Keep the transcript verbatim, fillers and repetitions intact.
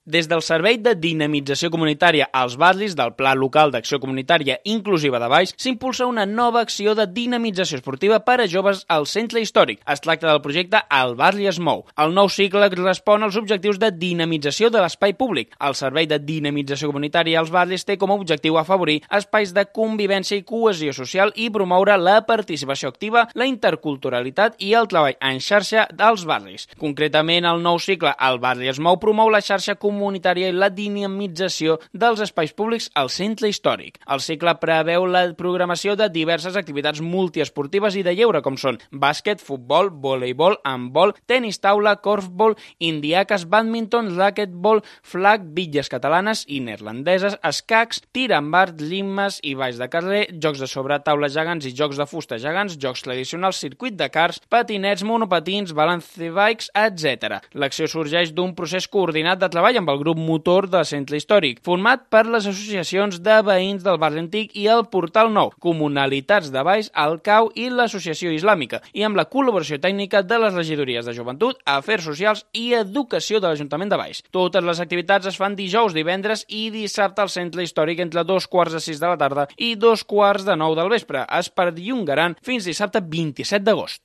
Des del Servei de Dinamització Comunitària als Barris del Pla Local d'Acció Comunitària Inclusiva de Valls s'impulsa una nova acció de dinamització esportiva per a joves al centre històric. Es tracta del projecte El Barri es mou. El nou cicle respon als objectius de dinamització de l'espai públic. El Servei de Dinamització Comunitària als Barris té com a objectiu afavorir espais de convivència i cohesió social i promoure la participació activa, la interculturalitat i el treball en xarxa dels barris. Concretament, el nou cicle El Barri es mou promou la xarxa comunitària i la dinamització dels espais públics al centre històric. El cicle preveu la programació de diverses activitats multiesportives i de lleure, com són bàsquet, futbol, voleibol, handbol, tenis taula, korfball, indiaques, bàdminton, racquetball, flag, bitlles catalanes i neerlandeses, escacs, tir amb art, limes i balls de carrer, jocs de sobre taula gegants i jocs de fusta gegants, jocs tradicionals, circuit de cars, patinets, monopatins, balance bikes, etcètera. L'acció sorgeix d'un procés coordinat de treball amb el grup motor del centre històric, format per les associacions de veïns del barri antic i el Portal Nou, Comunalitats de Valls, el C A U i l'Associació Islàmica, i amb la col·laboració tècnica de les regidories de Joventut, Afers Socials i Educació de l'Ajuntament de Valls. Totes les activitats es fan dijous, divendres i dissabte al centre històric entre dos quarts de sis de la tarda i dos quarts de nou del vespre. Es perllongaran fins dissabte vint-i-set d'agost.